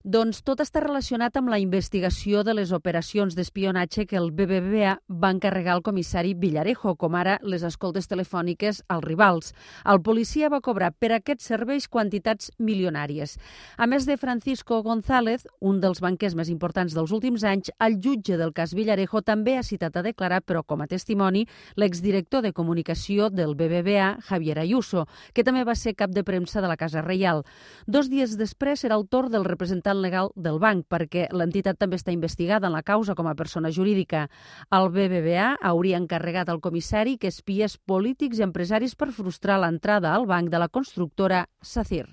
Doncs tot està relacionat amb la investigació de les operacions d'espionatge que el BBVA va encarregar al comissari Villarejo, com ara les escoltes telefòniques als rivals. El policia va cobrar per aquests serveis quantitats milionàries. A més de Francisco González, un dels banquers més importants dels últims anys, el jutge del cas Villarejo també ha citat a declarar, però com a testimoni, l'exdirector de comunicació del BBVA, Javier Ayuso, que també va ser cap de premsa de la Casa Reial. 2 dies després serà el torn del representant legal del banc, perquè l'entitat també està investigada en la causa com a persona jurídica. El BBVA hauria encarregat al comissari que espiés polítics i empresaris per frustrar l'entrada al banc de la constructora SACIR.